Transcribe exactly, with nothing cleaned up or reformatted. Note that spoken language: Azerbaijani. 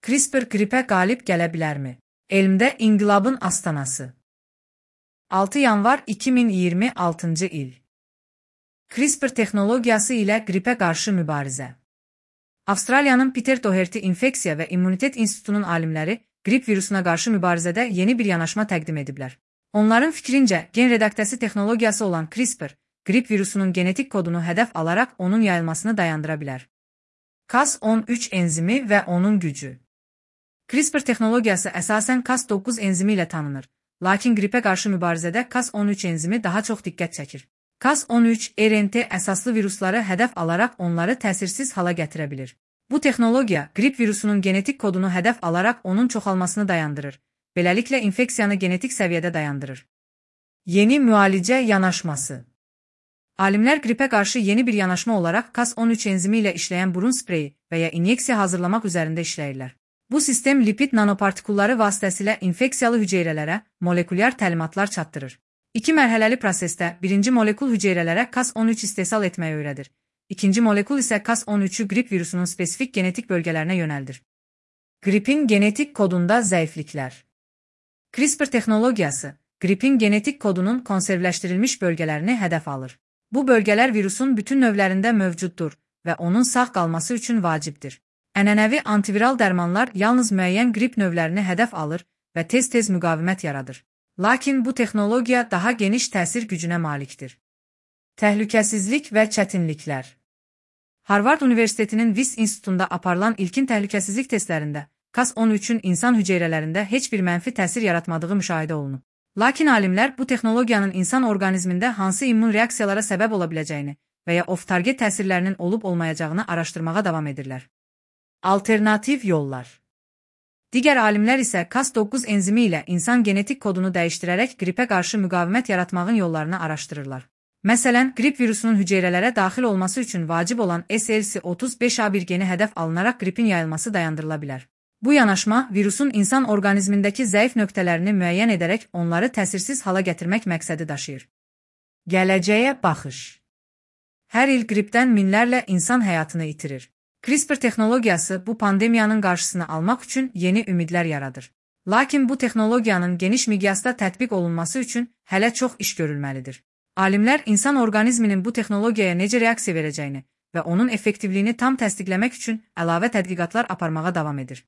CRISPR qripə qalib gələ bilərmi? Elmdə inqilabın astanası. altı yanvar iki min iyirmi altıncı il. CRISPR texnologiyası ilə qripə qarşı mübarizə. Avstraliyanın Peter Doherty İnfeksiya və İmmunitet İnstitutunun alimləri qrip virusuna qarşı mübarizədə yeni bir yanaşma təqdim ediblər. Onların fikrincə, gen redaktəsi texnologiyası olan CRISPR, qrip virusunun genetik kodunu hədəf alaraq onun yayılmasını dayandıra bilər. Cas on üç enzimi və onun gücü. CRISPR texnologiyası əsasən Cas doqquz enzimi ilə tanınır, lakin qripə qarşı mübarizədə Cas on üç enzimi daha çox diqqət çəkir. Cas on üç R N T əsaslı virusları hədəf alaraq onları təsirsiz hala gətirə bilir. Bu texnologiya qrip virusunun genetik kodunu hədəf alaraq onun çoxalmasını dayandırır, beləliklə infeksiyanı genetik səviyyədə dayandırır. Yeni müalicə yanaşması. Alimlər qripə qarşı yeni bir yanaşma olaraq Cas on üç enzimi ilə işləyən burun spreyi və ya inyeksiya hazırlamaq üzərində işləyirlər. Bu sistem lipid nanopartikulları vasitəsilə infeksiyalı hüceyrələrə molekulyar təlimatlar çatdırır. İki mərhələli prosesdə birinci molekul hüceyrələrə Cas on üç istehsal etməyi öyrədir. İkinci molekul isə Cas on üçü qrip virusunun spesifik genetik bölgələrinə yönəldir. Qripin genetik kodunda zəifliklər. CRISPR texnologiyası, qripin genetik kodunun konservləşdirilmiş bölgələrini hədəf alır. Bu bölgələr virusun bütün növlərində mövcuddur və onun sağ qalması üçün vacibdir. Ənənəvi antiviral dərmanlar yalnız müəyyən qrip növlərini hədəf alır və tez-tez müqavimət yaradır. Lakin bu texnologiya daha geniş təsir gücünə malikdir. Təhlükəsizlik və çətinliklər. Harvard Universitetinin Wyss İnstitutunda aparılan ilkin təhlükəsizlik testlərində Cas on üçün insan hüceyrələrində heç bir mənfi təsir yaratmadığı müşahidə olunub. Lakin alimlər bu texnologiyanın insan orqanizmində hansı immun reaksiyalara səbəb ola biləcəyini və ya off-target təsirlərinin olub-olmayacağını araşdırmağa davam edirlər. Alternativ yollar. Digər alimlər isə Cas doqquz enzimi ilə insan genetik kodunu dəyişdirərək qripə qarşı müqavimət yaratmağın yollarını araşdırırlar. Məsələn, qrip virusunun hüceyrələrə daxil olması üçün vacib olan S L C otuz beş A bir geni hədəf alınaraq qripin yayılması dayandırıla bilər. Bu yanaşma, virusun insan orqanizmindəki zəif nöqtələrini müəyyən edərək onları təsirsiz hala gətirmək məqsədi daşıyır. Gələcəyə baxış. Hər il qripdən minlərlə insan həyatını itirir. CRISPR texnologiyası bu pandemiyanın qarşısını almaq üçün yeni ümidlər yaradır. Lakin bu texnologiyanın geniş miqyasda tətbiq olunması üçün hələ çox iş görülməlidir. Alimlər insan orqanizminin bu texnologiyaya necə reaksiya verəcəyini və onun effektivliyini tam təsdiqləmək üçün əlavə tədqiqatlar aparmağa davam edir.